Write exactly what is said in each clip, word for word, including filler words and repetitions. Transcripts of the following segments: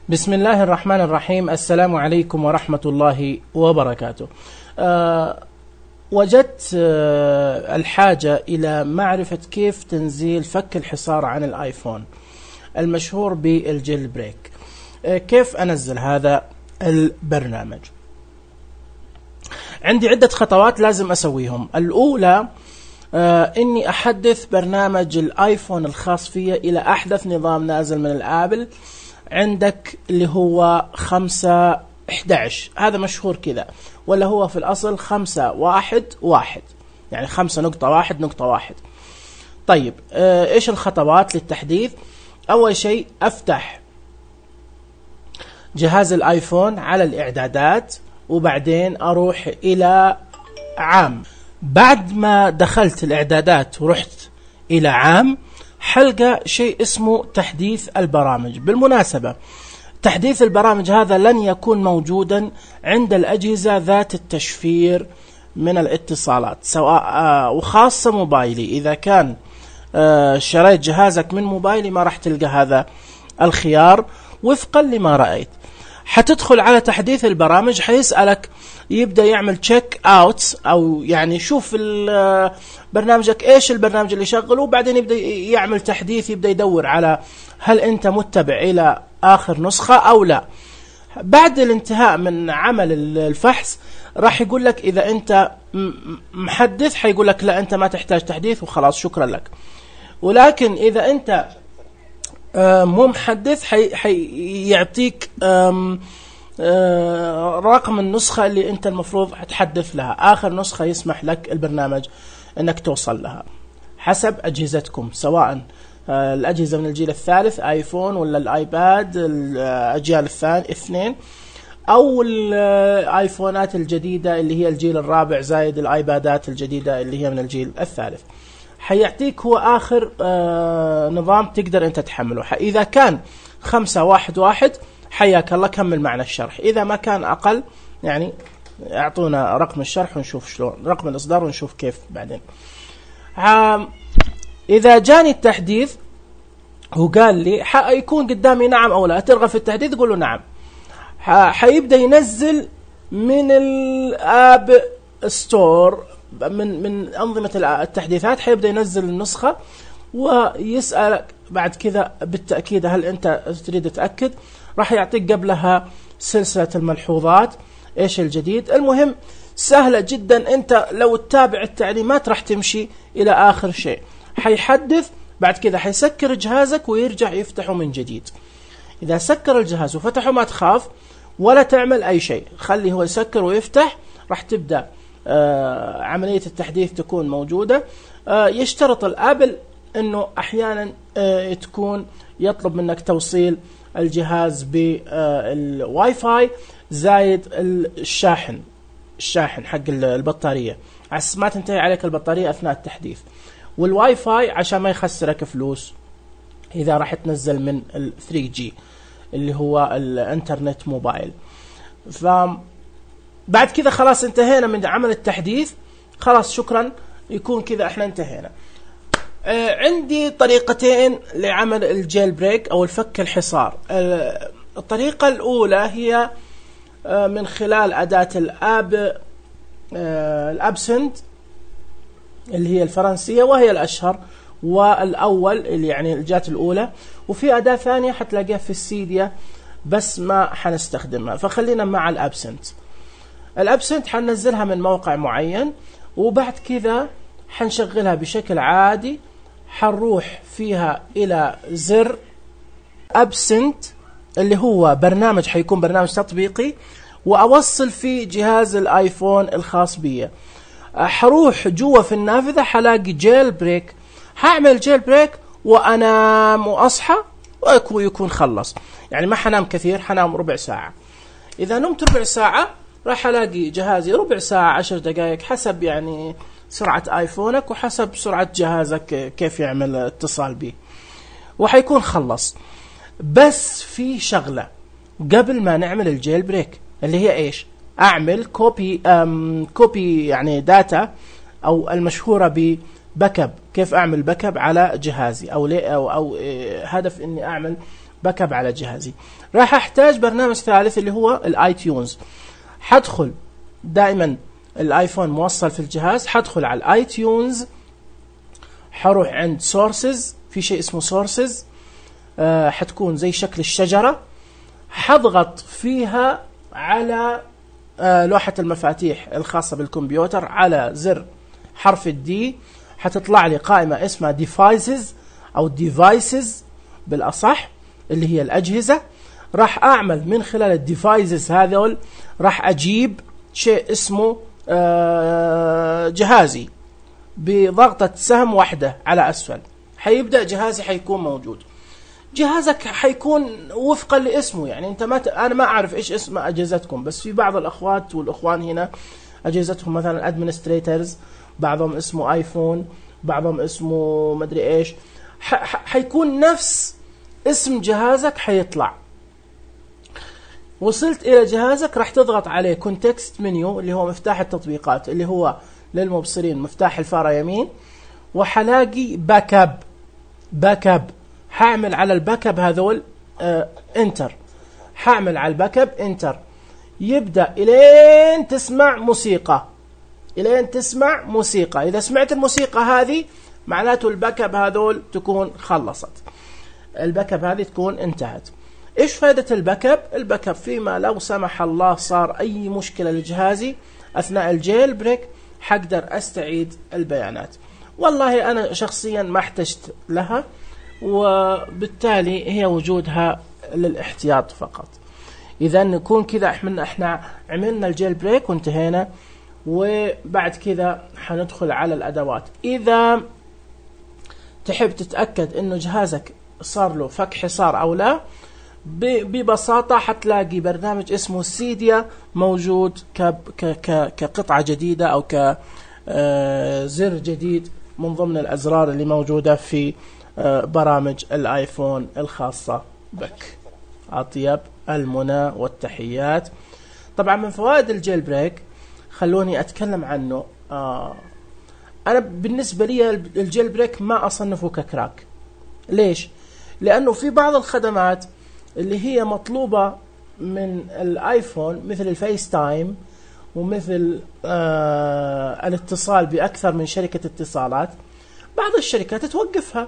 بسم الله الرحمن الرحيم. السلام عليكم ورحمة الله وبركاته. أه وجدت أه الحاجة إلى معرفة كيف تنزيل فك الحصار عن الآيفون المشهور بالجيل بريك. أه كيف أنزل هذا البرنامج؟ عندي عدة خطوات لازم أسويهم. الأولى أه إني أحدث برنامج الآيفون الخاص فيه إلى أحدث نظام نازل من الآبل عندك اللي هو خمسة إحدى عشر، هذا مشهور كذا، ولا هو في الأصل خمسة واحد واحد، يعني خمسة نقطة واحد نقطة واحد. طيب آه إيش الخطوات للتحديث؟ أول شيء أفتح جهاز الآيفون على الإعدادات، وبعدين أروح إلى عام. بعد ما دخلت الإعدادات ورحت إلى عام حلقة شيء اسمه تحديث البرامج. بالمناسبة تحديث البرامج هذا لن يكون موجودا عند الأجهزة ذات التشفير من الاتصالات، سواء آه وخاصة موبايلي. إذا كان آه شريت جهازك من موبايلي ما راح تلقى هذا الخيار وفقا لما رأيت. حتدخل على تحديث البرامج، حيسألك يبدأ يعمل تشيك اوت، أو يعني شوف برنامجك ايش البرنامج اللي شغله، وبعدين يبدأ يعمل تحديث، يبدأ يدور على هل انت متبع الى اخر نسخة او لا. بعد الانتهاء من عمل الفحص راح يقول لك اذا انت محدث، حيقول لك لا انت ما تحتاج تحديث وخلاص شكرا لك. ولكن اذا انت مو محدث حي حيعطيك رقم النسخة اللي انت المفروض تحدث لها، اخر نسخة يسمح لك البرنامج انك توصل لها حسب اجهزتكم، سواء الاجهزة من الجيل الثالث ايفون ولا الايباد الاجيال الثانية اثنين، او الايفونات الجديدة اللي هي الجيل الرابع زائد الايبادات الجديدة اللي هي من الجيل الثالث. حيعطيك هو آخر آه نظام تقدر أنت تحمله. إذا كان خمسة واحد واحد حياك الله كمل معنا الشرح، إذا ما كان أقل يعني أعطونا رقم الشرح ونشوف شلون، رقم الإصدار ونشوف كيف بعدين. إذا جاني التحديث وقال لي حيكون قدامي نعم أو لا، ترغب في التحديث قول له نعم. حيبدأ ينزل من الآب ستور، من من أنظمة التحديثات، حيبدأ ينزل النسخة ويسألك بعد كذا بالتأكيد هل أنت تريد تأكد. راح يعطيك قبلها سلسلة الملحوظات إيش الجديد. المهم سهلة جدا، أنت لو تتابع التعليمات راح تمشي إلى آخر شيء. حيحدث بعد كذا حيسكر جهازك ويرجع يفتحه من جديد. إذا سكر الجهاز وفتحه ما تخاف ولا تعمل أي شيء، خليه هو يسكر ويفتح، راح تبدأ آه عملية التحديث تكون موجودة. آه يشترط الآبل أنه أحيانا آه تكون يطلب منك توصيل الجهاز بالواي فاي زايد الشاحن الشاحن حق البطارية، عشان ما تنتهي عليك البطارية أثناء التحديث، والواي فاي عشان ما يخسرك فلوس إذا راح تنزل من ال ثري جي اللي هو الانترنت موبايل. ف بعد كذا خلاص انتهينا من عمل التحديث، خلاص شكرا، يكون كذا احنا انتهينا. آه عندي طريقتين لعمل الجيل بريك او الفك الحصار. آه الطريقة الاولى هي آه من خلال اداة الاب آه الابسنت اللي هي الفرنسية وهي الاشهر والاول اللي يعني الجات الاولى، وفي اداة ثانية حتلاقيها في السيديا بس ما حنستخدمها، فخلينا مع الابسنت. الابسنت حننزلها من موقع معين، وبعد كذا حنشغلها بشكل عادي. حنروح فيها الى زر ابسنت اللي هو برنامج، حيكون برنامج تطبيقي، واوصل في جهاز الايفون الخاص بي. حروح جوا في النافذة حلاقي جيل بريك، هعمل جيل بريك وانام واصحى ويكون خلص. يعني ما حنام كثير، حنام ربع ساعة. اذا نمت ربع ساعة راح الاقي جهازي ربع ساعة عشر دقائق حسب يعني سرعة ايفونك وحسب سرعة جهازك كيف يعمل اتصال به، وحيكون خلص. بس في شغلة قبل ما نعمل الجيل بريك اللي هي ايش؟ اعمل كوبي ام كوبي يعني داتا، او المشهورة بباك اب. كيف اعمل باك اب على جهازي، او ليه او, أو إيه هدف اني اعمل باك اب على جهازي. راح احتاج برنامج ثالث اللي هو الاي تيونز. حدخل دائما الايفون موصل في الجهاز، حدخل على الاي تيونز، حروح عند سورسز، في شيء اسمه سورسز أه حتكون زي شكل الشجرة، حضغط فيها على أه لوحة المفاتيح الخاصة بالكمبيوتر على زر حرف الدي، حتطلع لي قائمة اسمها ديفايسز او ديفايسز بالاصح اللي هي الاجهزة. راح اعمل من خلال الديفايسز هذول راح اجيب شيء اسمه أه جهازي، بضغطة سهم واحدة على اسفل حيبدأ جهازي حيكون موجود. جهازك حيكون وفقا لاسمه، يعني انت ما ت... انا ما اعرف ايش اسم اجهزتكم، بس في بعض الاخوات والاخوان هنا اجهزتهم مثلا ادمنستريتورز، بعضهم اسمه ايفون، بعضهم اسمه مدري ايش، ح... ح... حيكون نفس اسم جهازك حيطلع. وصلت الى جهازك راح تضغط عليه كونتكست منيو اللي هو مفتاح التطبيقات اللي هو للمبصرين مفتاح الفارة يمين، وحلاقي باك اب. باك اب حاعمل على الباك اب هذول آه انتر، حاعمل على الباك اب انتر، يبدأ الين تسمع موسيقى، الين تسمع موسيقى. اذا سمعت الموسيقى هذه معناته الباك اب هذول تكون خلصت، الباك اب هذه تكون انتهت. ايش فائدة الباك اب؟ الباك اب فيما لو سمح الله صار اي مشكلة لجهازي اثناء الجيل بريك حقدر استعيد البيانات. والله انا شخصيا ما احتجت لها، وبالتالي هي وجودها للاحتياط فقط. اذا نكون كذا احنا احنا عملنا الجيل بريك وانتهينا، وبعد كذا حندخل على الادوات. اذا تحب تتاكد انه جهازك صار له فك حصار او لا، ببساطة حتلاقي برنامج اسمه سيديا موجود كقطعة جديدة أو كزر جديد من ضمن الأزرار اللي موجودة في برامج الآيفون الخاصة بك. أطيب المنى والتحيات. طبعا من فوائد الجيل بريك خلوني أتكلم عنه. أنا بالنسبة لي الجيل بريك ما أصنفه ككراك. ليش؟ لأنه في بعض الخدمات اللي هي مطلوبة من الايفون مثل الفيس تايم ومثل آه الاتصال بأكثر من شركة اتصالات، بعض الشركات توقفها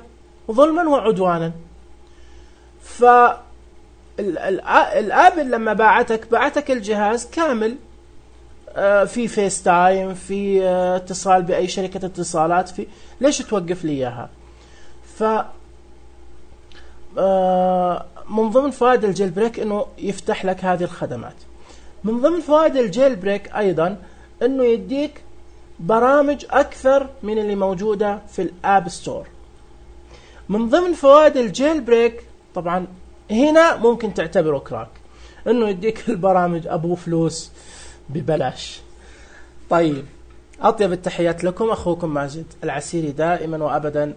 ظلما وعدوانا. فالآبل لما باعتك باعتك الجهاز كامل آه في فيس تايم، في آه اتصال بأي شركة اتصالات، في ليش توقف لي إياها؟ ف آه من ضمن فوائد الجيل بريك انه يفتح لك هذه الخدمات. من ضمن فوائد الجيل بريك ايضا انه يديك برامج اكثر من اللي موجودة في الاب ستور. من ضمن فوائد الجيل بريك طبعا هنا ممكن تعتبره كراك، انه يديك البرامج ابو فلوس ببلاش. طيب، اطيب التحيات لكم، اخوكم ماجد العسيري دائما وابدا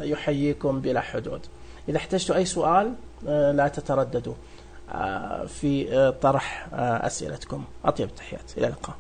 يحييكم بلا حدود. إذا احتجتوا أي سؤال لا تترددوا في طرح أسئلتكم. أطيب التحيات، إلى اللقاء.